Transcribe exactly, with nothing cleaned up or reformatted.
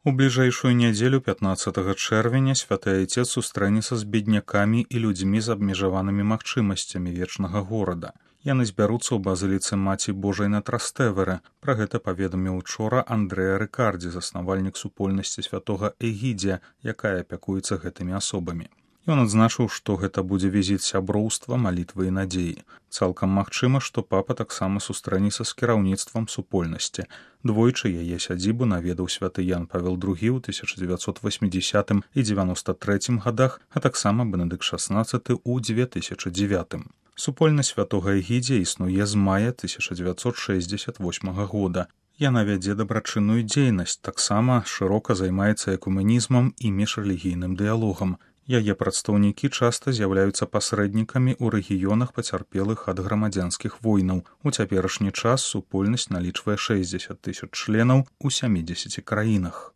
У бліжэйшую нядзелю пятнаццатага чэрвеня святы айцец сустрэнецца з беднякамі і людзьмі з абмежаванымі магчымасцямі вечнага горада. Яны збяруцца ў базыліцы Маці Божай на Трастэвере. Пра гэта паведаміў учора Андрэа Рыкардзі, заснавальнік супольнасці святога Эгідзія, якая апякуецца гэтымі асобамі. Ён адзначыў, што гэта будзе візіт сяброўства, малітвы і надзеі. Цалкам магчыма, што папа таксама сустрэнецца з кіраўніцтвам супольнасці. Двойчы яе сядзібу наведаў святы Ян Павел другі ў тысяча дзевяцьсот васьмідзесятым і дзевяноста трэцім гадах, а таксама Бенедыкт шаснаццаты ў дзве тысячы дзевятым. Супольнасць святога Эгідзія існуе з мая тысяча дзевяцьсот шэсцьдзесят восьмага года. Яна вядзе дабрачынную дзейнасць, таксама шырока займаецца экумэнізмам і міжрэлігійным дыялогам. Яе прадстаўнікі часта з'яўляюцца пасрэднікамі ў рэгіёнах пацярпелых ад грамадзянскіх войнаў. У цяперашні час супольнасць налічвае шэсцьдзесят тысяч членаў у сямідзесяці краінах.